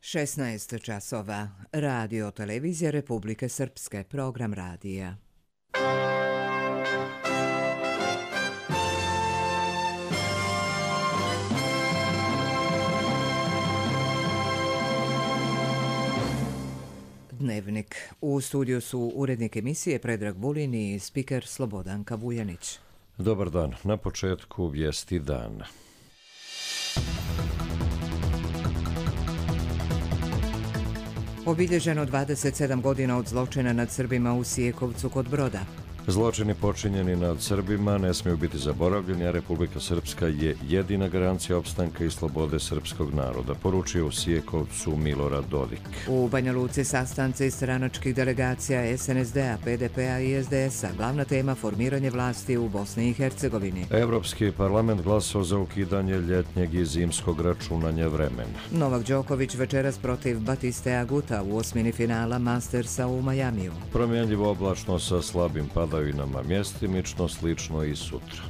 16 časova. Radio televizija Republike Srpske. Program radija. Dnevnik. U studiju su urednik emisije Predrag Vulin i spiker Slobodanka Vujanić. Dobar dan. Na početku vijesti dana. Obilježeno 27 godina od zločina nad Srbima u Sijekovcu kod Broda. Zločini počinjeni nad Srbima ne smiju biti zaboravljeni, a Republika Srpska je jedina garancija opstanka i slobode srpskog naroda, poručio u Sijekovcu Milorad Dodik. U Banja Luci sastanci stranačkih delegacija SNSD-a, PDP-a i SDS-a. Glavna tema formiranje vlasti u Bosni i Hercegovini. Evropski parlament glasao za ukidanje ljetnjeg i zimskog računanja vremena. Novak Đoković večeras protiv Batiste Aguta u osmini finala Mastersa u Majamiju. Promjenljivo oblačno sa slabim padavinama, mjestimično slično i sutra.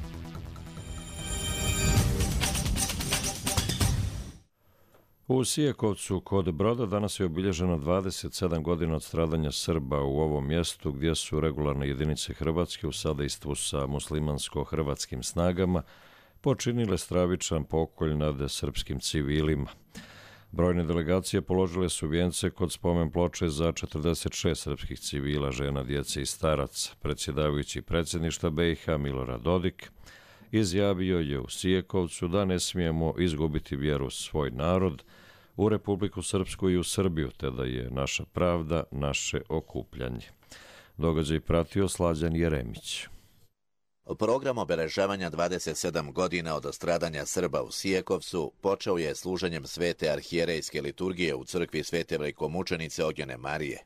U Sijekovcu kod Broda danas je obilježeno 27 godina od stradanja Srba u ovom mjestu gdje su regularne jedinice Hrvatske u sadejstvu sa muslimansko-hrvatskim snagama počinile stravičan pokolj nad srpskim civilima. Brojne delegacije položile su vijence kod spomen ploče za 46 srpskih civila, žena, djece i staraca. Predsjedavajući predsjedništva BiH Milorad Dodik izjavio je u Sijekovcu da ne smijemo izgubiti vjeru u svoj narod, u Republiku Srpsku i u Srbiju, te da je naša pravda naše okupljanje. Događaj pratio Slađan Jeremić. Program obeležavanja 27 godina od stradanja Srba u Sijekovcu počeo je služenjem svete arhijerejske liturgije u crkvi Svete Velikomučenice Ognjene Marije.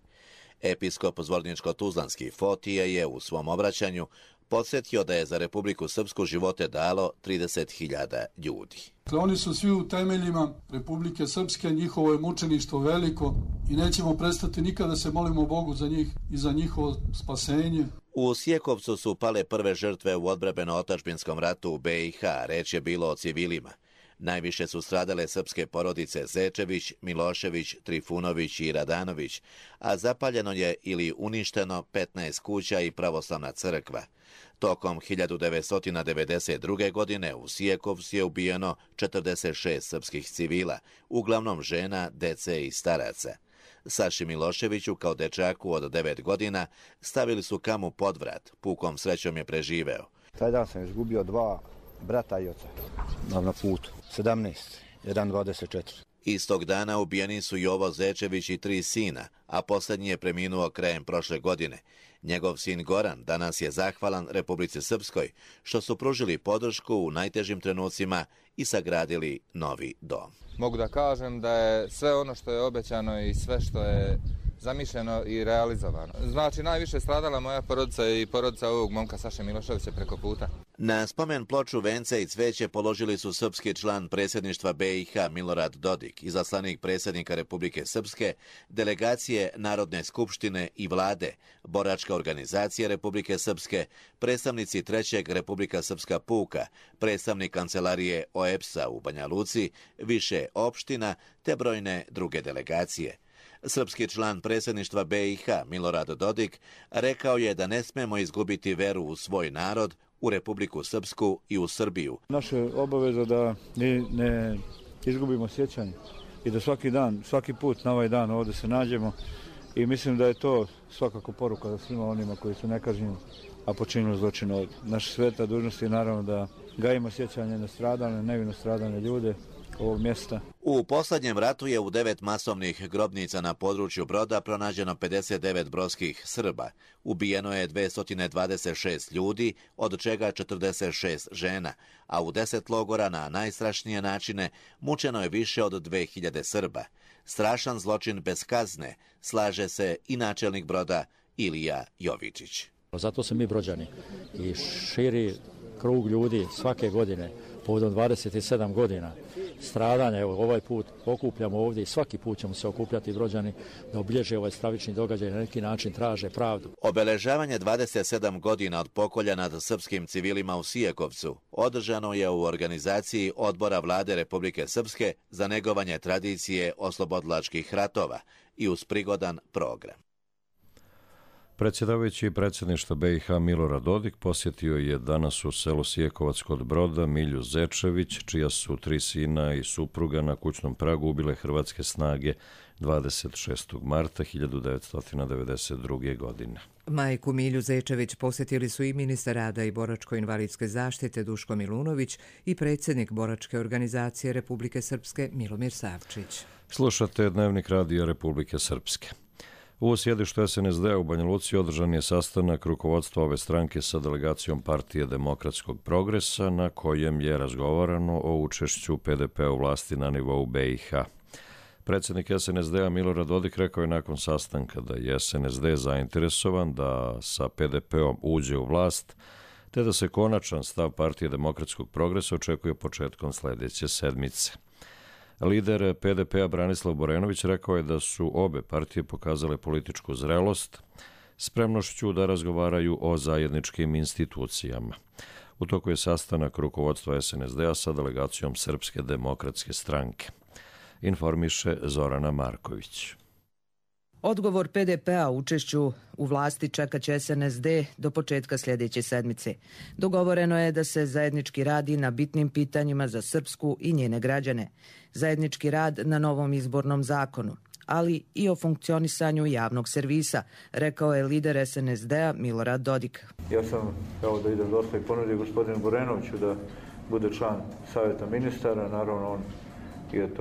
Episkop Zvorničko-Tuzlanski Fotije je u svom obraćanju podsjetio da je za Republiku Srpsku živote dalo 30.000 ljudi. Oni su svi u temeljima Republike Srpske, njihovo je mučeništvo veliko i nećemo prestati nikada se molimo Bogu za njih i za njihovo spasenje. U Sijekovcu su pale prve žrtve u odbrambeno-otadžbinskom ratu u BiH, reč je bilo o civilima. Najviše su stradale srpske porodice Zečević, Milošević, Trifunović i Radanović, a zapaljeno je ili uništeno 15 kuća i pravoslavna crkva. Tokom 1992. godine u Sijekovcu je ubijeno 46 srpskih civila, uglavnom žena, dece i staraca. Saši Miloševiću kao dečaku od 9 godina stavili su kamu pod vrat, pukom srećom je preživeo. Taj dan sam izgubio 2 brata i oca na putu, 17, 1,24. Istog dana ubijeni su Jovo Zečević i 3 sina, a posljednji je preminuo krajem prošle godine. Njegov sin Goran danas je zahvalan Republici Srpskoj što su pružili podršku u najtežim trenucima i sagradili novi dom. Mogu da kažem da je sve ono što je obećano i sve što je zamišljeno i realizovano. Znači, najviše stradala moja porodica i porodica ovog momka Saše Miloševića preko puta. Na spomen ploču vence i cveće položili su srpski član predsjedništva BiH Milorad Dodik, izaslanik predsjednika Republike Srpske, delegacije Narodne skupštine i vlade, boračka organizacija Republike Srpske, predstavnici 3. Republika Srpska puka, predstavnik kancelarije OEBS-a u Banja Luci, više opština te brojne druge delegacije. Srpski član predsjedništva BiH Milorad Dodik rekao je da ne smemo izgubiti veru u svoj narod, u Republiku Srpsku i u Srbiju. Naša obaveza da ne izgubimo sjećanje i da svaki dan, svaki put na ovaj dan ovdje se nađemo i mislim da je to svakako poruka za svima onima koji su nekažnjeni, a počinili zločin ovdje. Naša sveta dužnost je naravno da gajimo sjećanje na stradane, nevino stradane ljude ovog mjesta. U posljednjem ratu je u 9 masovnih grobnica na području Broda pronađeno 59 brodskih Srba. Ubijeno je 226 ljudi, od čega 46 žena, a u 10 logora na najstrašnije načine mučeno je više od 2000 Srba. Strašan zločin bez kazne, slaže se i načelnik Broda Ilija Jovičić. Zato se mi Brođani i širi krug ljudi svake godine povodom 27 godina stradanja. Evo, ovaj put okupljamo ovdje i svaki put ćemo se okupljati Brođani da obilježe ovaj stravični događaj i na neki način traže pravdu. Obeležavanje 27 godina od pokolja nad srpskim civilima u Sijekovcu održano je u organizaciji Odbora Vlade Republike Srpske za negovanje tradicije oslobodilačkih ratova i uz prigodan program. Predsjedavajući predsjedništva BiH Milorad Dodik posjetio je danas u selu Sijekovac kod Broda Milju Zečević, čija su 3 sina i supruga na kućnom pragu ubile hrvatske snage 26. marta 1992. godine. Majku Milju Zečević posjetili su i ministar rada i boračko-invalidske zaštite Duško Milunović i predsjednik boračke organizacije Republike Srpske Milomir Savčić. Slušate Dnevnik radija Republike Srpske. U sjedištu SNSD-a u Banja Luci održan je sastanak rukovodstva ove stranke sa delegacijom Partije demokratskog progresa na kojem je razgovarano o učešću PDP-a u vlasti na nivou BiH. Predsjednik SNSD-a Milorad Dodik rekao je nakon sastanka da je SNSD zainteresovan da sa PDP-om uđe u vlast, te da se konačan stav Partije demokratskog progresa očekuje početkom sljedeće sedmice. Lider PDP-a Branislav Borenović rekao je da su obe partije pokazale političku zrelost, spremnošću da razgovaraju o zajedničkim institucijama. U toku je sastanak rukovodstva SNSD-a sa delegacijom Srpske demokratske stranke. Informiše Zorana Marković. Odgovor PDP-a učešću u vlasti čekat će SNSD do početka sljedeće sedmice. Dogovoreno je da se zajednički radi na bitnim pitanjima za Srpsku i njene građane. Zajednički rad na novom izbornom zakonu, ali i o funkcionisanju javnog servisa, rekao je lider SNSD-a Milorad Dodik. Ja sam, evo da idem dosta i ponudio gospodinu Borenoviću da bude član savjeta ministara, naravno on je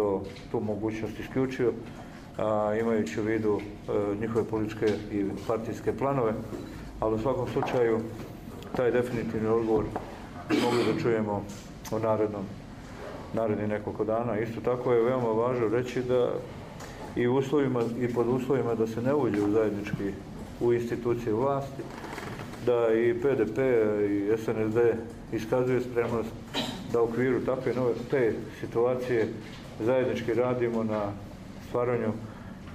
tu mogućnost isključio, imajući u vidu njihove političke i partijske planove, ali u svakom slučaju taj definitivni odgovor mogli da čujemo u narednih nekoliko dana. Isto tako je veoma važno reći da i pod uslovima da se ne uđe u zajednički u institucije vlasti, da i PDP i SNSD iskazuje spremnost da u okviru te situacije zajednički radimo na stvaranju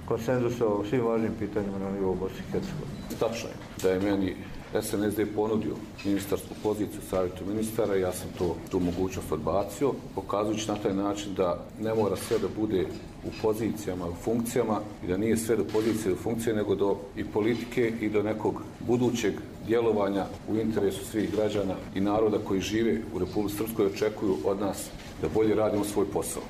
konsenzusa o svim važnim pitanjima na nivou Bosne i Hercegovine. Tačno je da je meni SNSD ponudio ministarsku poziciju u savjetu ministara, ja sam tu mogućnost odbacio, pokazujući na taj način da ne mora sve da bude u pozicijama, u funkcijama i da nije sve do pozicije do funkcije, nego do i politike i do nekog budućeg djelovanja u interesu svih građana i naroda koji žive u Republici Srpskoj očekuju od nas da bolje radimo svoj posao.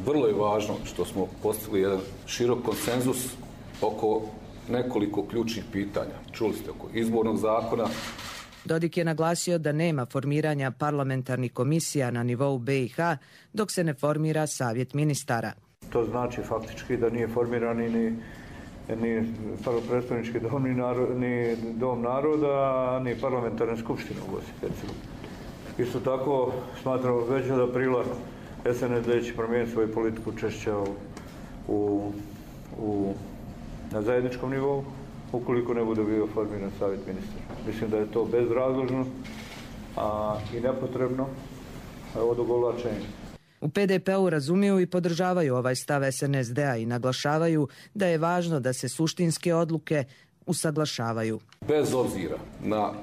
Vrlo je važno što smo postigli jedan širok konsenzus oko nekoliko ključnih pitanja. Čuli ste oko izbornog zakona. Dodik je naglasio da nema formiranja parlamentarnih komisija na nivou BiH dok se ne formira savjet ministara. To znači faktički da nije formiran ni predstavnički dom, ni dom naroda, ni parlamentarna skupština u Bosni i Hercegovini. Isto tako smatramo već od aprila SNSD će promijeniti svoju politiku učešća na zajedničkom nivou, ukoliko ne bude bio formiran savjet ministara. Mislim da je to bezrazložno i nepotrebno odugovlačenje. U PDP-u razumiju i podržavaju ovaj stav SNSD-a i naglašavaju da je važno da se suštinske odluke usaglašavaju. Bez obzira na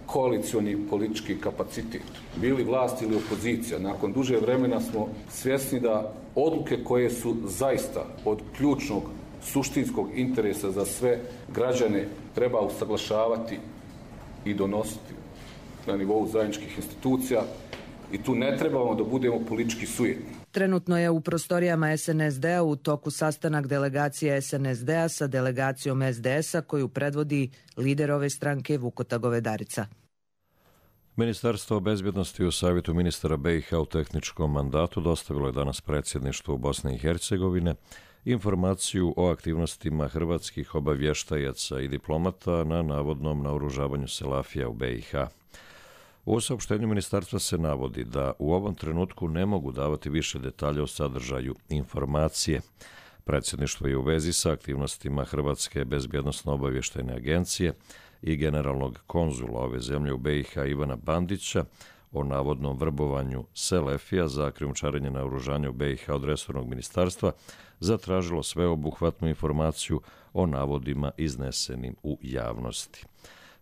koalicioni politički kapacitet, bili vlast ili opozicija, nakon duže vremena smo svjesni da odluke koje su zaista od ključnog suštinskog interesa za sve građane treba usaglašavati i donositi na nivou zajedničkih institucija i tu ne trebamo da budemo politički sujetni. Trenutno je u prostorijama SNSD-a u toku sastanak delegacije SNSD-a sa delegacijom SDS-a koju predvodi lider ove stranke Vukota Govedarica. Ministarstvo bezbjednosti u savjetu ministara BiH u tehničkom mandatu dostavilo je danas predsjedništvu Bosne i Hercegovine informaciju o aktivnostima hrvatskih obavještajaca i diplomata na navodnom naoružavanju Selafija u BiH. U saopštenju ministarstva se navodi da u ovom trenutku ne mogu davati više detalja o sadržaju informacije. Predsjedništvo je u vezi sa aktivnostima Hrvatske bezbjednosno-obavještajne agencije i generalnog konzula ove zemlje u BiH Ivana Bandića o navodnom vrbovanju Selefija za krijumčarenje naoružanja u BiH od resornog ministarstva zatražilo sveobuhvatnu informaciju o navodima iznesenim u javnosti.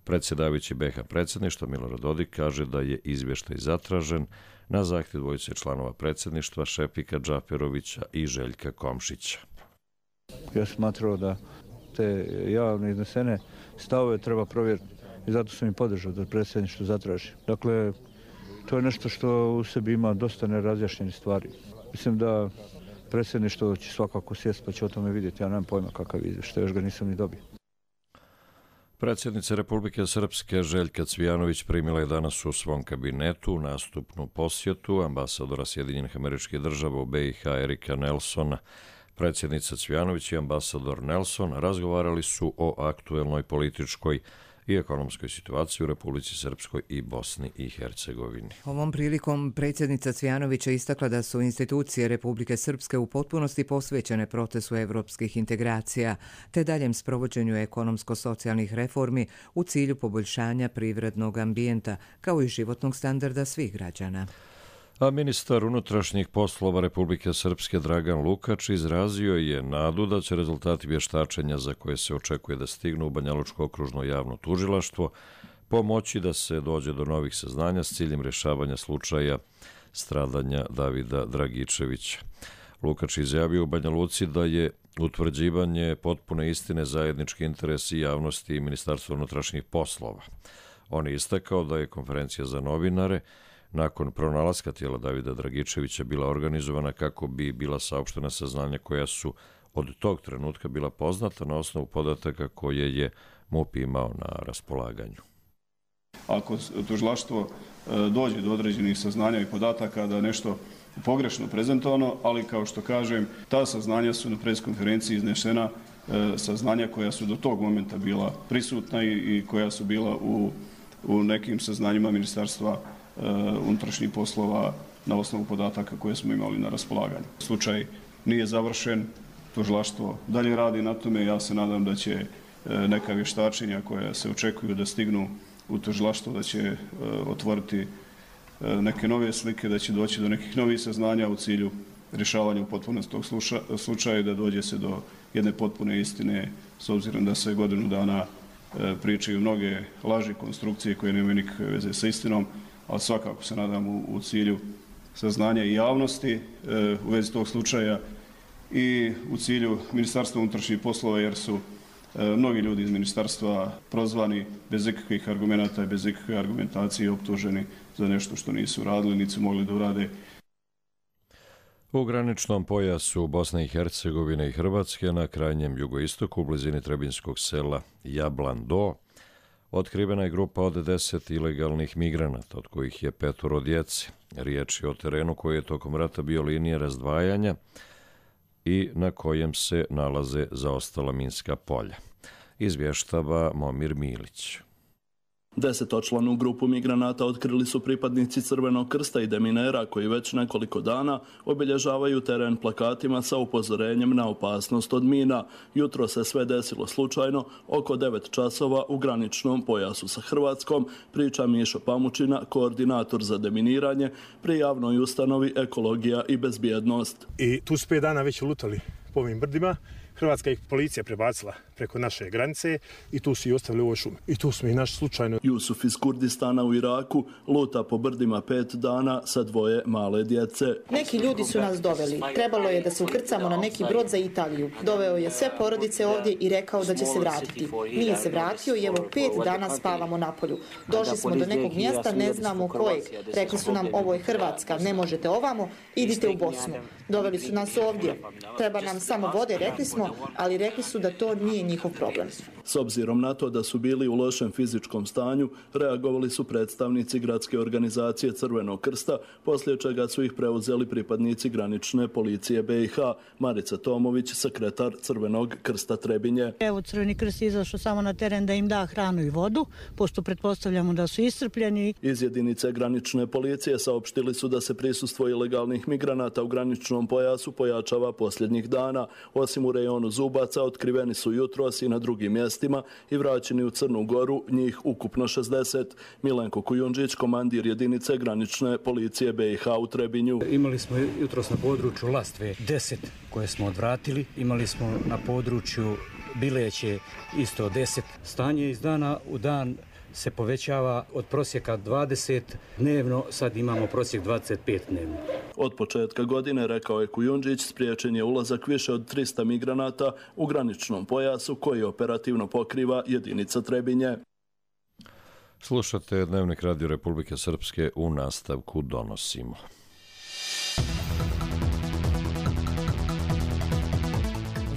Predsjedavajući BiH predsjedništva Milorad Dodik kaže da je izvještaj zatražen na zahtjev dvojice članova predsjedništva Šefika Džaferovića i Željka Komšića. Ja smatrao da te javne iznesene stavove treba provjeriti i zato sam i podržao da predsjedništvo zatraži. Dakle, to je nešto što u sebi ima dosta nerazjašnjenih stvari. Mislim da predsjedništvo će svakako sjesti pa će o tome vidjeti. Ja nemam pojma kakav izvještaj, još ga nisam ni dobio. Predsjednica Republike Srpske Željka Cvijanović primila je danas u svom kabinetu nastupnu posjetu ambasadora Sjedinjenih Američkih Država u BiH Erika Nelsona. Predsjednica Cvijanović i ambasador Nelson razgovarali su o aktuelnoj političkoj i ekonomskoj situaciji u Republici Srpskoj i Bosni i Hercegovini. Ovom prilikom predsjednica Cvijanović je istakla da su institucije Republike Srpske u potpunosti posvećene procesu evropskih integracija te daljem sprovođenju ekonomsko-socijalnih reformi u cilju poboljšanja privrednog ambijenta kao i životnog standarda svih građana. A ministar unutrašnjih poslova Republike Srpske Dragan Lukač izrazio je nadu da će rezultati vještačenja za koje se očekuje da stignu u Banjalučko okružno javno tužilaštvo pomoći da se dođe do novih saznanja s ciljem rješavanja slučaja stradanja Davida Dragičevića. Lukač izjavio u Banja Luci da je utvrđivanje potpune istine zajednički interes i javnosti i Ministarstva unutrašnjih poslova. On je istakao da je konferencija za novinare nakon pronalaska tijela Davida Dragičevića bila organizovana kako bi bila saopštena saznanja koja su od tog trenutka bila poznata na osnovu podataka koje je MUP imao na raspolaganju. Ako tužilaštvo dođe do određenih saznanja i podataka da nešto pogrešno prezentovano, ali kao što kažem, ta saznanja su na preskonferenciji iznesena, saznanja koja su do tog momenta bila prisutna i koja su bila u nekim saznanjima Ministarstva unutrašnjih poslova na osnovu podataka koje smo imali na raspolaganju. Slučaj nije završen, tužilaštvo dalje radi na tome. Ja se nadam da će neka vještačenja koja se očekuju da stignu u tužilaštvo, da će otvoriti neke nove slike, da će doći do nekih novih saznanja u cilju rješavanja u potpunosti tog slučaja i da dođe se do jedne potpune istine, s obzirom da se godinu dana pričaju mnoge laži, konstrukcije koje nemaju nikakve veze sa istinom, ali svakako se nadam u cilju saznanja i javnosti u vezi tog slučaja i u cilju Ministarstva unutrašnjih poslova, jer su mnogi ljudi iz ministarstva prozvani bez ikakvih argumenata i bez ikakve argumentacije optuženi za nešto što nisu radili, niti su mogli da urade. U graničnom pojasu Bosne i Hercegovine i Hrvatske na krajnjem jugoistoku u blizini trebinskog sela Jablan Do otkrivena je grupa od 10 ilegalnih migranata, od kojih je 5 djece. Riječ je o terenu koji je tokom rata bio linija razdvajanja i na kojem se nalaze zaostala minska polja. Izvještava Momir Milić. 10-članu grupu migranata otkrili su pripadnici Crvenog krsta i deminera koji već nekoliko dana obilježavaju teren plakatima sa upozorenjem na opasnost od mina. Jutro se sve desilo slučajno oko 9 časova u graničnom pojasu sa Hrvatskom, priča Mišo Pamučina, koordinator za deminiranje pri javnoj ustanovi Ekologija i bezbjednost. I tu su 5 dana već lutali po ovim brdima. Hrvatska ih policija prebacila preko naše granice i tu su i ostavili u ovoj šumi. I tu smo i naš slučajno. Jusuf iz Kurdistana u Iraku luta po brdima 5 dana sa 2 male djece. Neki ljudi su nas doveli. Trebalo je da se ukrcamo na neki brod za Italiju. Doveo je sve porodice ovdje i rekao da će se vratiti. Nije se vratio i evo 5 dana spavamo na polju. Došli smo do nekog mjesta, ne znamo kojeg. Rekli su nam ovo je Hrvatska, ne možete ovamo, idite u Bosnu. Doveli su nas ovdje. Treba nam samo vode, rekli smo, ali rekli su da to nije njihov problem. S obzirom na to da su bili u lošem fizičkom stanju, reagovali su predstavnici gradske organizacije Crvenog krsta, poslije čega su ih preuzeli pripadnici granične policije BiH. Marica Tomović, sekretar Crvenog krsta Trebinje. Evo, Crveni krst je izašao samo na teren da im da hranu i vodu, pošto pretpostavljamo da su iscrpljeni. Iz jedinice granične policije saopštili su da se prisustvo ilegalnih migranata u graničnom graničnom pojasu pojačava posljednjih dana. Osim u rejonu Zubaca, otkriveni su jutros i na drugim mjestima i vraćeni u Crnu Goru, njih ukupno 60. Milenko Kujundžić, komandir jedinice granične policije BiH u Trebinju. Imali smo jutros na području Lastve 10 koje smo odvratili. Imali smo na području Bileće isto 10. Stanje iz dana u dan se povećava od prosjeka 20 dnevno, sad imamo prosjek 25 dnevno. Od početka godine, rekao je Kujundžić, spriječen je ulazak više od 300 migranata u graničnom pojasu koji operativno pokriva jedinica Trebinje. Slušate Dnevnik Radio Republike Srpske, u nastavku donosimo.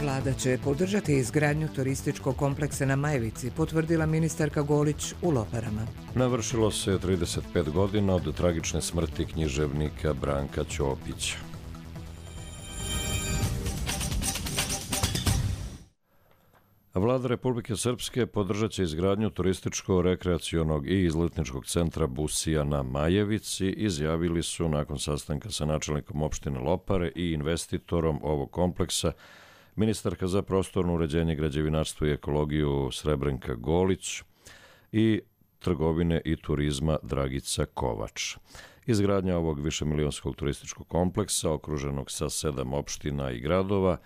Vlada će podržati izgradnju turističkog kompleksa na Majevici, potvrdila ministarka Golić u Loparama. Navršilo se 35 godina od tragične smrti književnika Branka Ćopića. Vlada Republike Srpske podržat će izgradnju turističko-rekreacionog i izletničkog centra Busija na Majevici, izjavili su nakon sastanka sa načelnikom opštine Lopare i investitorom ovog kompleksa ministarka za prostorno uređenje, građevinarstvo i ekologiju Srebrenka Golić i trgovine i turizma Dragica Kovač. Izgradnja ovog višemilionskog turističkog kompleksa, okruženog sa 7 opština i gradova,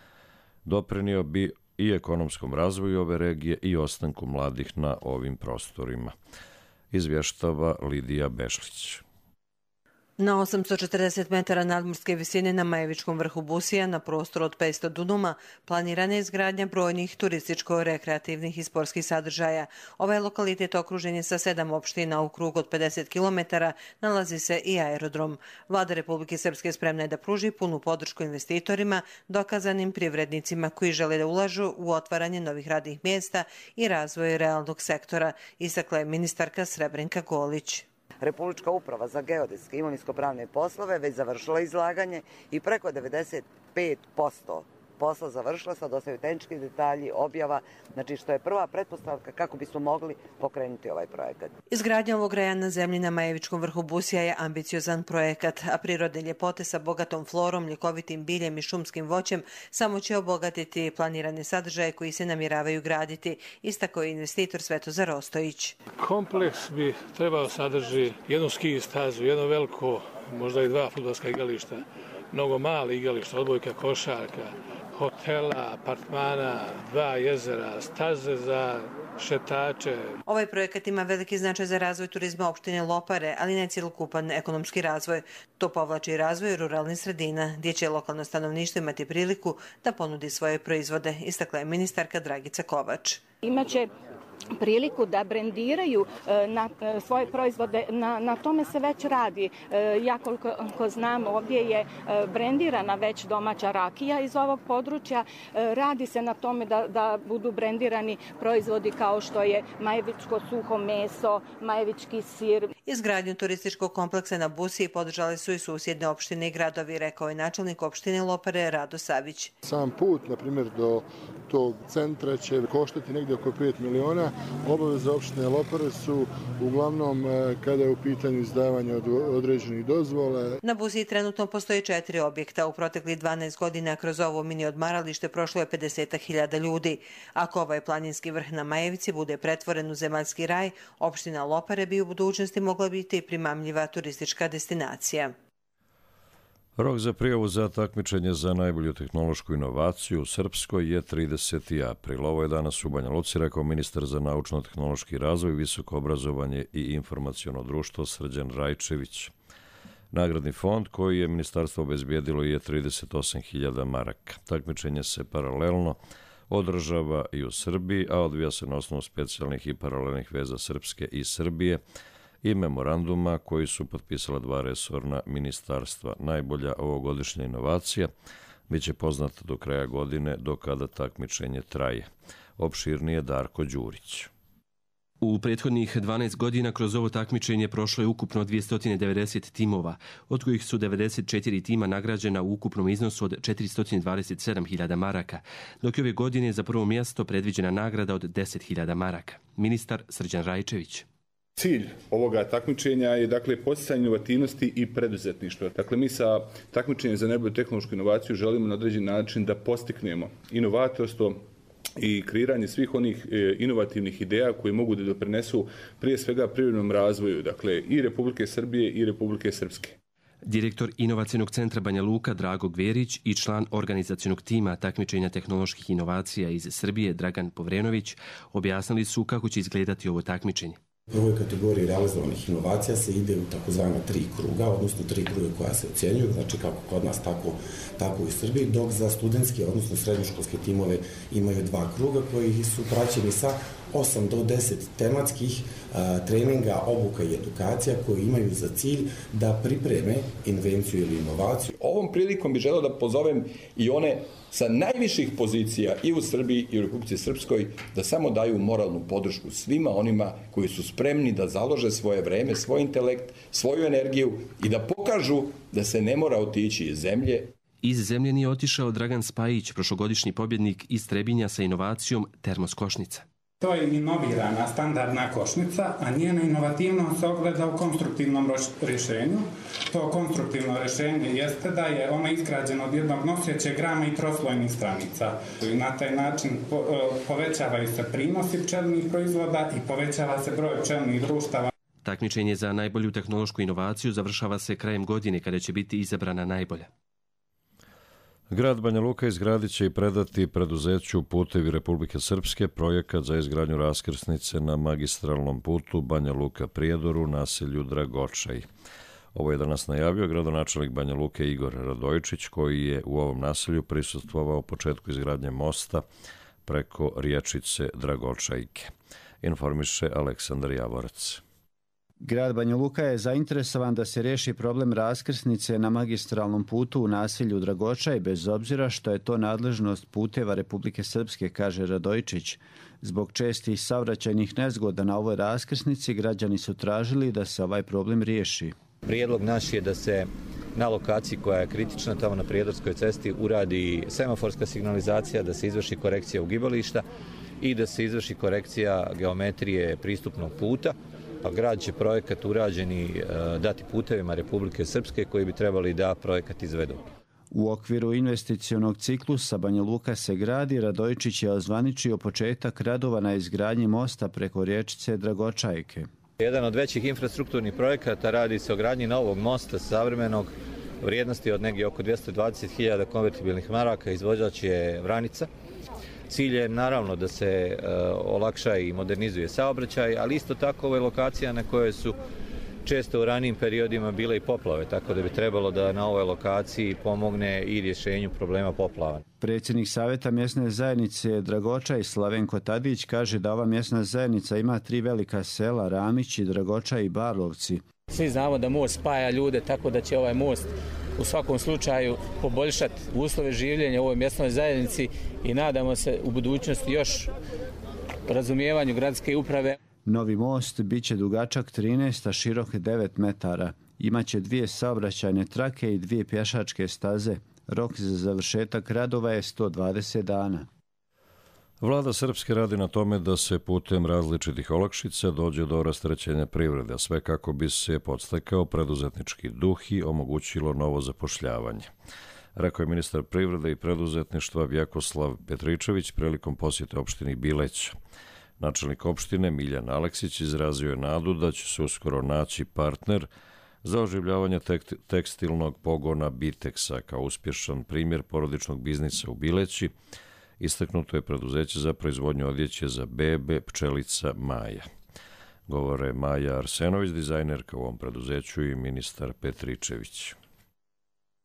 doprinio bi i ekonomskom razvoju ove regije i ostanku mladih na ovim prostorima, izvještava Lidija Bešlić. Na 840 metara nadmorske visine na Majevičkom vrhu Busija, na prostoru od 500 dunuma, planirana je izgradnja brojnih turističko-rekreativnih i sportskih sadržaja. Ovaj lokalitet okružen je sa 7 opština, u krug od 50 km nalazi se i aerodrom. Vlada Republike Srpske spremna je da pruži punu podršku investitorima, dokazanim privrednicima koji žele da ulažu u otvaranje novih radnih mjesta i razvoj realnog sektora, istakla je ministarka Srebrenka Golić. Republička uprava za geodetske i imovinsko-pravne poslove već završila izlaganje i preko 95% posla završila, sad ostaju tehnički detalji, objava, znači što je prva pretpostavka kako bismo mogli pokrenuti ovaj projekat. Izgradnja ovog raja na zemlji na Majevičkom vrhu Busija je ambiciozan projekat, a prirodne ljepote sa bogatom florom, ljekovitim biljem i šumskim voćem samo će obogatiti planirane sadržaje koji se namjeravaju graditi, istakao je investitor Svetozar Ostojić. Kompleks bi trebao sadrži jednu ski stazu, jedno veliko, možda i 2 fudbalska igrališta, mnogo mali igrališta, odbojka, košarka, hotela, apartmana, 2 jezera, staze za šetače. Ovaj projekat ima veliki značaj za razvoj turizma opštine Lopare, ali ne cjelokupan ekonomski razvoj. To povlači i razvoj ruralnih sredina, gdje će lokalno stanovništvo imati priliku da ponudi svoje proizvode, istakla je ministarka Dragica Kovač. Imaće priliku da brendiraju svoje proizvode, na tome se već radi. Ja koliko znam, ovdje je brendirana već domaća rakija iz ovog područja. Radi se na tome da budu brendirani proizvodi kao što je majevičko suho meso, majevički sir. Izgradnju turističkog kompleksa na Busiji podržali su i susjedne opštine i gradovi, rekao je načelnik opštine Lopare Rado Savić. Sam put, na primjer, do tog centra će koštati negdje oko 5 miliona. Obaveze opštine Lopare su uglavnom kada je u pitanju izdavanje određenih dozvola. Na Busiji trenutno postoji 4 objekta. U proteklih 12 godina kroz ovo mini odmaralište prošlo je 50.000 ljudi. Ako ovaj planinski vrh na Majevici bude pretvoren u zemaljski raj, opština Lopare bi u budućnosti mogla biti primamljiva turistička destinacija. Rok za prijavu za takmičenje za najbolju tehnološku inovaciju u Srpskoj je 30. april. Ovo je danas u Banja Luci, rekao ministar za naučno-tehnološki razvoj, visoko obrazovanje i informaciono društvo Srđan Rajčević. Nagradni fond koji je ministarstvo obezbijedilo je 38.000 maraka. Takmičenje se paralelno održava i u Srbiji, a odvija se na osnovu specijalnih i paralelnih veza Srpske i Srbije i memoranduma koji su potpisala 2 resorna ministarstva. Najbolja ovogodišnja inovacija biće poznata do kraja godine, do kada takmičenje traje. Opširnije Darko Đurić. U prethodnih 12 godina kroz ovo takmičenje prošlo je ukupno 290 timova, od kojih su 94 tima nagrađena u ukupnom iznosu od 427.000 maraka, dok je ove godine za prvo mjesto predviđena nagrada od 10.000 maraka. Ministar Srđan Rajčević. Cilj ovoga takmičenja je dakle poticanje inovativnosti i preduzetništva. Dakle, mi sa takmičenjem za najbolju tehnološku inovaciju želimo na određen način da postiknemo inovatorstvo i kreiranje svih onih inovativnih ideja koji mogu da doprinesu prije svega privrednom razvoju, dakle i Republike Srbije i Republike Srpske. Direktor Inovacijnog centra Banja Luka Drago Gverić i član organizacionog tima takmičenja tehnoloških inovacija iz Srbije Dragan Povrenović objasnili su kako će izgledati ovo takmičenje. U prvoj kategoriji realizovanih inovacija se ide u takozvana 3 kruga, odnosno 3 kruga koja se ocjenjuju, znači kako kod nas, tako i u Srbiji, dok za studentske, odnosno srednjoškolske timove imaju 2 kruga koji su praćeni sa 8 do 10 tematskih treninga, obuka i edukacija koji imaju za cilj da pripreme invenciju ili inovaciju. Ovom prilikom bih želeo da pozovem i one sa najviših pozicija i u Srbiji i u Republici Srpskoj da samo daju moralnu podršku svima onima koji su spremni da založe svoje vreme, svoj intelekt, svoju energiju i da pokažu da se ne mora otići iz zemlje. Iz zemlje nije otišao Dragan Spajić, prošlogodišnji pobjednik iz Trebinja sa inovacijom termoskošnica. To je inovirana standardna košnica, a njena inovativnost se ogleda u konstruktivnom rješenju. To konstruktivno rješenje jeste da je ono izgrađeno od jednog nosećeg rama i troslojnih stranica. I na taj način povećavaju se prinosi pčelinjih proizvoda i povećava se broj pčelinjih društava. Takmičenje za najbolju tehnološku inovaciju završava se krajem godine kada će biti izabrana najbolja. Grad Banja Luka izgradit će i predati preduzeću Putevi Republike Srpske projekat za izgradnju raskrsnice na magistralnom putu Banja Luka-Prijedor u naselju Dragočaj. Ovo je danas najavio gradonačelnik Banja Luke Igor Radojičić, koji je u ovom naselju prisustvovao početku izgradnje mosta preko riječice Dragočajke. Informiše Aleksandar Javorac. Grad Banja Luka je zainteresovan da se riješi problem raskrsnice na magistralnom putu u naselju Dragočaj, bez obzira što je to nadležnost Puteva Republike Srpske, kaže Radojičić. Zbog čestih saobraćajnih nezgoda na ovoj raskrsnici građani su tražili da se ovaj problem riješi. Prijedlog naš je da se na lokaciji koja je kritična, tamo na Prijedorskoj cesti, uradi semaforska signalizacija, da se izvrši korekcija ugibališta i da se izvrši korekcija geometrije pristupnog puta. Grad će projekat urađeni dati Putevima Republike Srpske koji bi trebali da projekat izvedu. U okviru investicionog ciklusa Banja Luka se gradi. Radojičić je ozvaničio početak radova na izgradnji mosta preko riječice Dragočajke. Jedan od većih infrastrukturnih projekata radi se o gradnji novog mosta savremenog vrijednosti od negdje oko 220.000 konvertibilnih maraka. Izvođač je Vranica. Cilj je naravno da se olakša i modernizuje saobraćaj, ali isto tako ovo je lokacija na kojoj su često u ranijim periodima bile i poplave, tako da bi trebalo da na ovoj lokaciji pomogne i rješenju problema poplava. Predsjednik Savjeta mjesne zajednice Dragočaj Slavenko Tadić kaže da ova mjesna zajednica ima 3 velika sela, Ramići, Dragočaj i Barlovci. Svi znamo da most spaja ljude, tako da će ovaj most u svakom slučaju poboljšati uslove življenja u ovoj mjesnoj zajednici i nadamo se u budućnosti još razumijevanju gradske uprave. Novi most bit će dugačak 13, a širok 9 metara. Imaće 2 saobraćajne trake i 2 pješačke staze. Rok za završetak radova je 120 dana. Vlada Srpske radi na tome da se putem različitih olakšica dođe do rasterećenja privrede, a sve kako bi se podstakao preduzetnički duh i omogućilo novo zapošljavanje. Rekao je ministar privrede i preduzetništva Vjekoslav Petričević prilikom posjete opštini Bileć. Načelnik opštine Miljan Aleksić izrazio je nadu da će se uskoro naći partner za oživljavanje tekstilnog pogona Biteksa kao uspješan primjer porodičnog biznisa u Bileći. Istaknuto je preduzeće za proizvodnju odjeće za bebe Pčelica Maja. Govore Maja Arsenović, dizajnerka u ovom preduzeću, i ministar Petričević.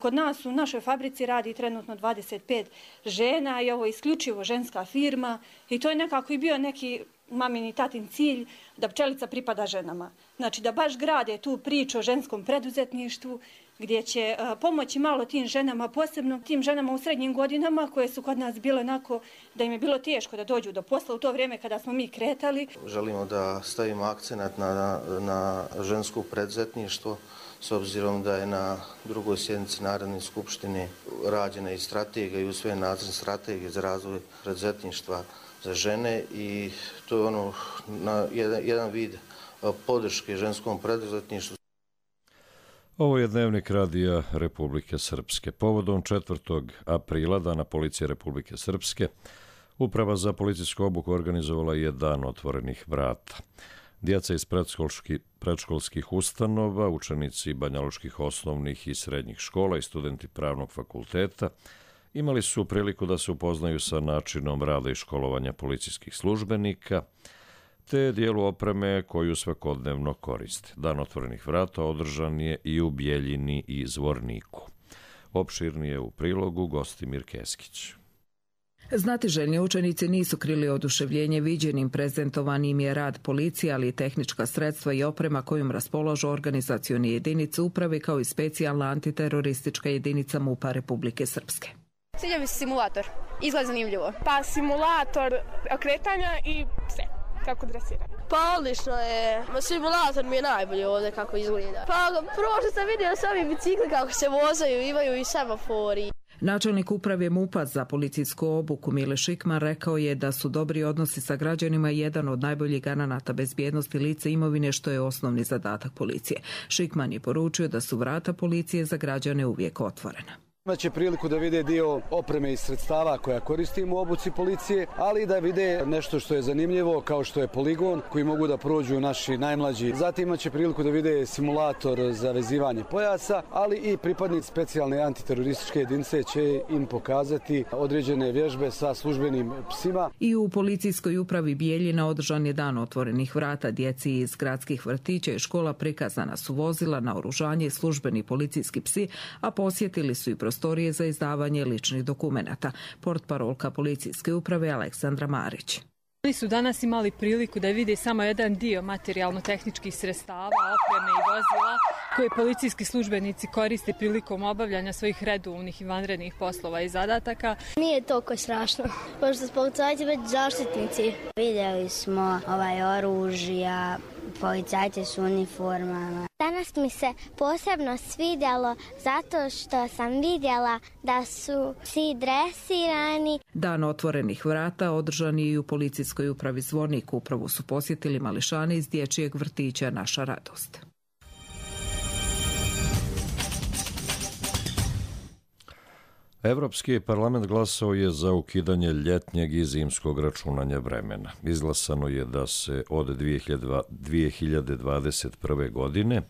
Kod nas u našoj fabrici radi trenutno 25 žena i ovo je isključivo ženska firma i to je nekako i bio neki mamin i tatin cilj da Pčelica pripada ženama. Znači da baš grade tu priču o ženskom preduzetništvu gdje će pomoći malo tim ženama, posebno tim ženama u srednjim godinama koje su kod nas bile onako da im je bilo teško da dođu do posla u to vrijeme kada smo mi kretali. Želimo da stavimo akcenat na žensko preduzetništvo s obzirom da je na drugoj sjednici Narodne skupštine rađena i strategija i usvojen nacrt strategije za razvoj preduzetništva za žene i to je jedan vid podrške ženskom preduzetništvu. Ovo je dnevnik Radija Republike Srpske. Povodom 4. aprila, Dana policije Republike Srpske, Uprava za policijsku obuku organizovala je Dan otvorenih vrata. Djeca iz predškolskih ustanova, učenici banjalučkih osnovnih i srednjih škola i studenti pravnog fakulteta imali su priliku da se upoznaju sa načinom rada i školovanja policijskih službenika, te dijelu opreme koju svakodnevno koriste. Dan otvorenih vrata održan je i u Bjeljini i Zvorniku. Opširnije u prilogu Gostimir Keskić. Znatiželjni učenici nisu krili oduševljenje viđenim, prezentovanim je rad policije, ali i tehnička sredstva i oprema kojom raspolažu organizacioni jedinice uprave kao i specijalna antiteroristička jedinica MUP-a Republike Srpske. Sviđa mi se simulator, izgleda zanimljivo. Pa simulator okretanja i sve, kako dresiranje. Pa odlično je, simulator mi je najbolji ovdje kako izgleda. Pa prvo što sam vidio sami bicikli kako se vozaju, imaju i semafori. Načelnik uprave MUP-a za policijsku obuku Mile Šikman rekao je da su dobri odnosi sa građanima jedan od najboljih garanata bezbjednosti lica imovine, što je osnovni zadatak policije. Šikman je poručio da su vrata policije za građane uvijek otvorena. Imaće priliku da vide dio opreme i sredstava koja koristimo u obuci policije, ali da vide nešto što je zanimljivo, kao što je poligon koji mogu da prođu naši najmlađi. Zatim imaće priliku da vide simulator za vezivanje pojasa, ali i pripadnici specijalne antiterorističke jedinice će im pokazati određene vježbe sa službenim psima. I u policijskoj upravi Bijeljina održan je Dan otvorenih vrata. Djeci iz gradskih vrtića i škola prikazana su vozila, naoružanje i službeni policijski psi, a posjetili su i prostorije za izdavanje ličnih dokumenata. Portparolka policijske uprave Aleksandra Marić. Oni su danas imali priliku da vide samo jedan dio materijalno-tehničkih sredstava, opreme i vozila koje policijski službenici koriste prilikom obavljanja svojih redovnih i vanrednih poslova i zadataka. Nije toliko strašno, pošto su policajci već zaštitnici. Vidjeli smo oružja, policajci su u uniformama. Danas mi se posebno svidjelo zato što sam vidjela da su psi dresirani. Dan otvorenih vrata održan je i u policijskoj upravi Zvornik. Upravu su posjetili mališani iz dječjeg vrtića Naša radost. Evropski parlament glasao je za ukidanje ljetnjeg i zimskog računanja vremena. Izglasano je da se od 2021. godine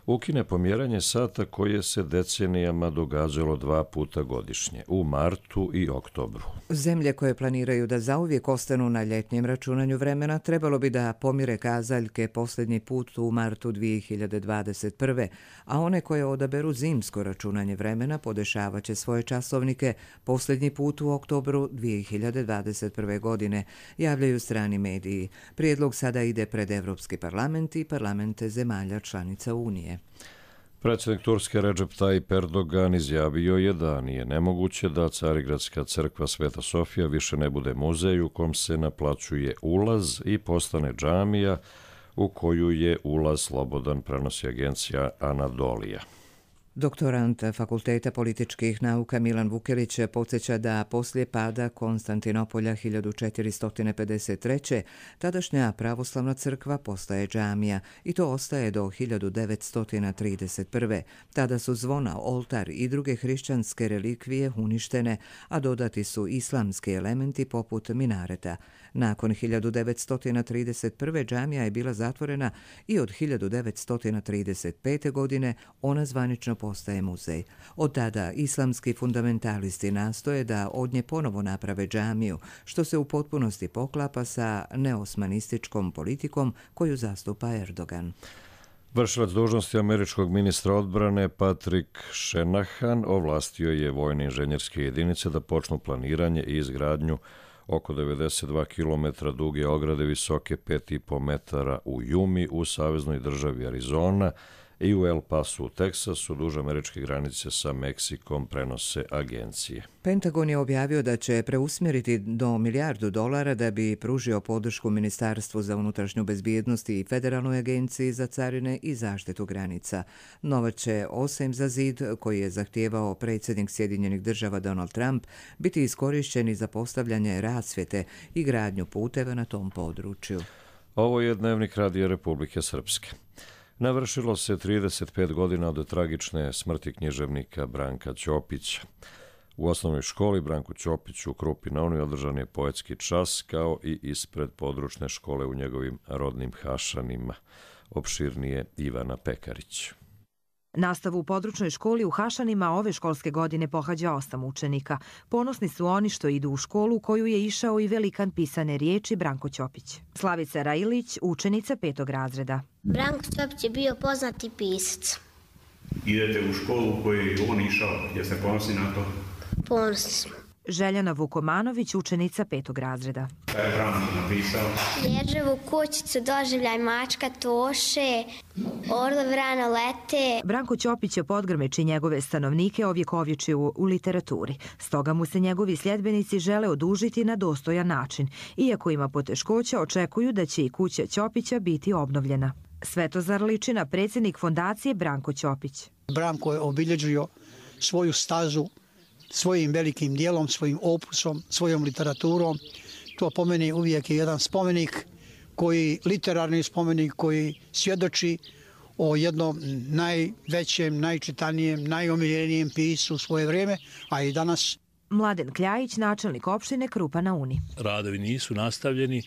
ukine pomjeranje sata koje se decenijama događalo 2 puta godišnje, u martu i oktobru. Zemlje koje planiraju da zauvijek ostanu na ljetnjem računanju vremena trebalo bi da pomire kazaljke posljednji put u martu 2021. A one koje odaberu zimsko računanje vremena podešavat će svoje časovnike posljednji put u oktobru 2021. godine, javljaju strani mediji. Prijedlog sada ide pred Evropski parlament i parlamente zemalja članica Unije. Predsjednik Turske Recep Tayyip Erdogan izjavio je da nije nemoguće da Carigradska crkva Sveta Sofija više ne bude muzej u kom se naplaćuje ulaz i postane džamija u koju je ulaz slobodan, prenosi agencija Anadolija. Doktorant Fakulteta političkih nauka Milan Vukelić podsjeća da poslije pada Konstantinopolja 1453. tadašnja pravoslavna crkva postaje džamija i to ostaje do 1931. Tada su zvona, oltar i druge hrišćanske relikvije uništene, a dodati su islamski elementi poput minareta. Nakon 1931. džamija je bila zatvorena i od 1935. godine ona zvanično postaje muzej. Od tada islamski fundamentalisti nastoje da od nje ponovo naprave džamiju, što se u potpunosti poklapa sa neosmanističkom politikom koju zastupa Erdogan. Vršilac dužnosti američkog ministra odbrane Patrick Shanahan ovlastio je vojne inženjerske jedinice da počnu planiranje i izgradnju oko 92 km duge ograde visoke 5,5 metara u Jumi u saveznoj državi Arizona i u El Pasu u Teksasu, duž američke granice sa Meksikom, prenose agencije. Pentagon je objavio da će preusmjeriti do $1 milijardu da bi pružio podršku Ministarstvu za unutrašnju bezbjednost i Federalnoj agenciji za carine i zaštitu granica. Novac će, osim za zid koji je zahtijevao predsjednik Sjedinjenih država Donald Trump, biti iskorišteni za postavljanje rasvjete i gradnju puteva na tom području. Ovo je Dnevnik Radija Republike Srpske. Navršilo se 35 godina od tragične smrti književnika Branka Ćopića. U osnovnoj školi Branku Ćopiću u Krupi na Uni održan je poetski čas, kao i ispred područne škole u njegovim rodnim Hašanima. Opširnije Ivana Pekarić. Nastavu u područnoj školi u Hašanima ove školske godine pohađa 8 učenika. Ponosni su oni što idu u školu u koju je išao i velikan pisane riječi Branko Ćopić. Slavica Rajilić, učenica 5. razreda. Branko Ćopić je bio poznati pisac. Idete u školu u koju je on išao, jeste ponosni na to? Ponosni smo. Željana Vukomanović, učenica 5. razreda. Šta je Branko napisao? Ježevu kućicu, doživljaj mačka Toše, orlov rano lete. Branko Ćopić je Podgrmeč i njegove stanovnike ovjekovječio u literaturi. Stoga mu se njegovi sljedbenici žele odužiti na dostojan način. Iako ima poteškoća, očekuju da će i kuća Ćopića biti obnovljena. Svetozar Ličina, predsjednik fondacije Branko Ćopić. Branko je obilježio svoju stazu svojim velikim dijelom, svojim opusom, svojom literaturom. To po meni uvijek je jedan spomenik, literarni spomenik koji svjedoči o jednom najvećem, najčitanijem, najomiljenijem pisu u svoje vrijeme, a i danas. Mladen Kljajić, načelnik opštine Krupa na Uni. Radovi nisu nastavljeni,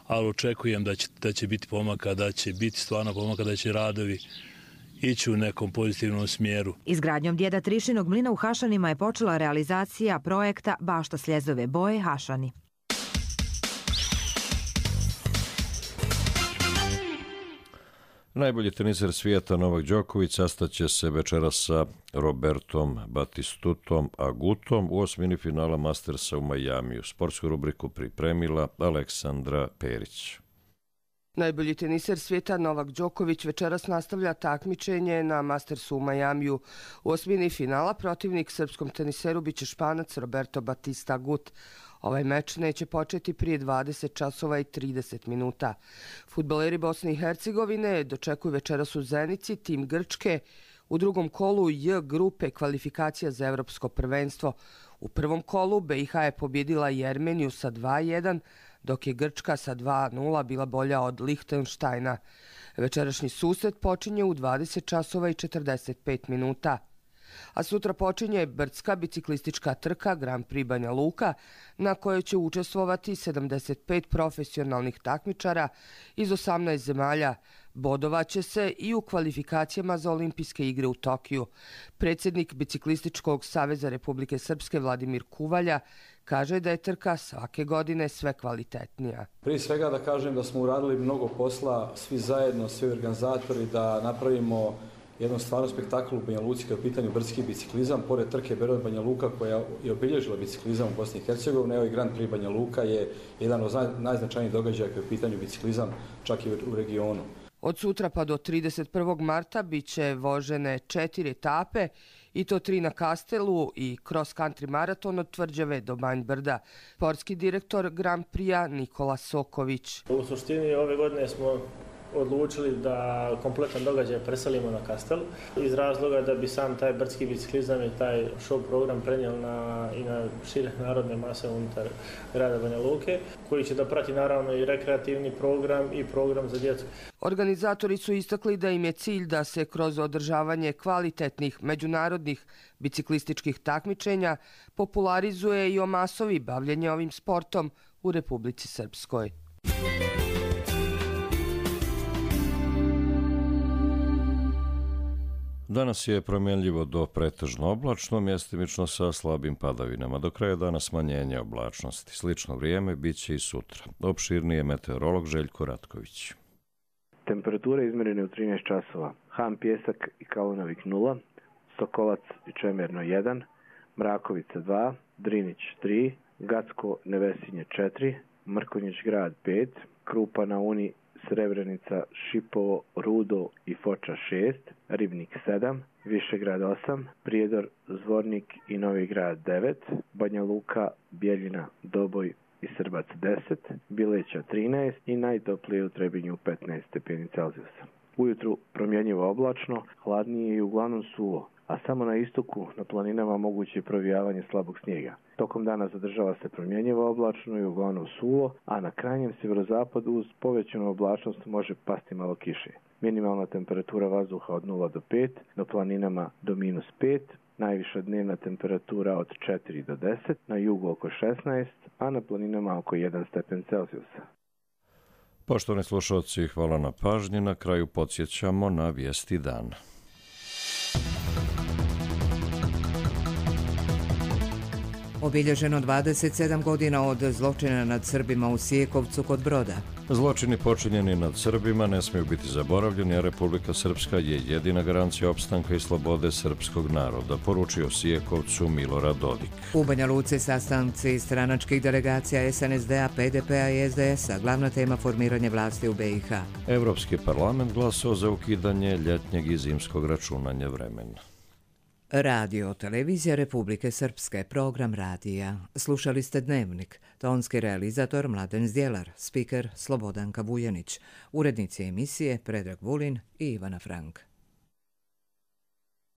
ali očekujem da će biti pomaka, da će biti stvarno pomaka, da će radovi ići u nekom pozitivnom smjeru. Izgradnjom djeda Trišinog mlina u Hašanima je počela realizacija projekta Bašta Sljezove boje Hašani. Najbolji teniser svijeta Novak Đoković sastaće se večeras sa Robertom Batistutom Agutom u osmini finala Mastersa u Majamiju. Sportsku rubriku pripremila Aleksandra Perić. Najbolji teniser svijeta Novak Đoković večeras nastavlja takmičenje na Mastersu u Majamiju. U osmini finala protivnik srpskom teniseru biće Španac Roberto Batista Agut. Ovaj meč neće početi prije 20 časova i 30 minuta. Fudbaleri Bosne i Hercegovine dočekuju večeras u Zenici tim Grčke u drugom kolu J grupe kvalifikacija za evropsko prvenstvo. U prvom kolu BiH je pobjedila Jermeniju sa 2:1, dok je Grčka sa 2:0 bila bolja od Lihtenštajna. Večerašnji susret počinje u 20 časova i 45 minuta. A sutra počinje brdska biciklistička trka Grand Prix Banja Luka, na kojoj će učestvovati 75 profesionalnih takmičara iz 18 zemalja. Bodovaće se i u kvalifikacijama za olimpijske igre u Tokiju. Predsjednik Biciklističkog saveza Republike Srpske Vladimir Kuvalja kaže da je trka svake godine sve kvalitetnija. Prije svega da kažem da smo uradili mnogo posla, svi zajedno, svi organizatori, da napravimo jednom stvarno spektakl u Banja Luci kada je u pitanju brdski biciklizam. Pored trke Beograd Banja Luka koja je obilježila biciklizam u Bosni i Hercegovini, evo i Grand Prix Banja Luka je jedan od najznačajnijih događaja kada je u pitanju biciklizam čak i u regionu. Od sutra pa do 31. marta bit će vožene 4 etape, i to 3 na Kastelu i cross country maraton od Tvrđave do Banj Brda. Sportski direktor Grand Prix-a Nikola Soković. U suštini ove godine smo odlučili da kompletan događaj preselimo na Kastel iz razloga da bi sam taj brdski biciklizam i taj show program prenijeli i na šire narodne mase unutar grada Banja Luke, koji će da prati naravno i rekreativni program i program za djecu. Organizatori su istakli da im je cilj da se kroz održavanje kvalitetnih međunarodnih biciklističkih takmičenja popularizuje i omasovi bavljenje ovim sportom u Republici Srpskoj. Danas je promjenljivo do pretežno oblačno, mjestimično sa slabim padavinama. Do kraja dana smanjenje oblačnosti. Slično vrijeme bit će i sutra. Opširniji je meteorolog Željko Ratković. Temperature izmjerene u 13 časova. Han Pjesak i Kalunovik 0, Sokolac i Čemerno 1, Mrakovica 2, Drinić 3, Gacko Nevesinje 4, Mrkonjić grad 5, Krupa na Uni, Srebrenica, Šipovo, Rudo i Foča 6, Ribnik 7, Višegrad 8, Prijedor, Zvornik i Novi grad 9, Banja Luka, Bjeljina, Doboj i Srbac 10, Bileća 13 i najtoplije u Trebinju 15 stepeni Celzijusa. Ujutru promjenjivo oblačno, hladnije i uglavnom suvo, a samo na istoku na planinama moguće je provijavanje slabog snijega. Tokom dana zadržava se promjenjivo oblačno i uglavnom suvo, a na krajnjem sjeverozapadu uz povećanu oblačnost može pasti malo kiše. Minimalna temperatura vazduha od 0 do 5, na planinama do -5, najviša dnevna temperatura od 4 do 10, na jugu oko 16, a na planinama oko 1 stepen Celzijusa. Poštovani slušalci, hvala na pažnji. Na kraju podsjećamo na vijesti dana. Obilježeno 27 godina od zločina nad Srbima u Sijekovcu kod Broda. Zločini počinjeni nad Srbima ne smiju biti zaboravljeni, a Republika Srpska je jedina garancija opstanka i slobode srpskog naroda, poručio Sijekovcu Milorad Dodik. U Banja Luci sastanci stranačkih delegacija SNSD-a, PDP-a i SDS-a, glavna tema formiranje vlasti u BiH. Evropski parlament glasao za ukidanje ljetnjeg i zimskog računanja vremena. Radio televizija Republike Srpske, program radija. Slušali ste Dnevnik, tonski realizator Mladen Zdjelar, spiker Slobodanka Bujanić, urednici emisije Predrag Vulin i Ivana Frank.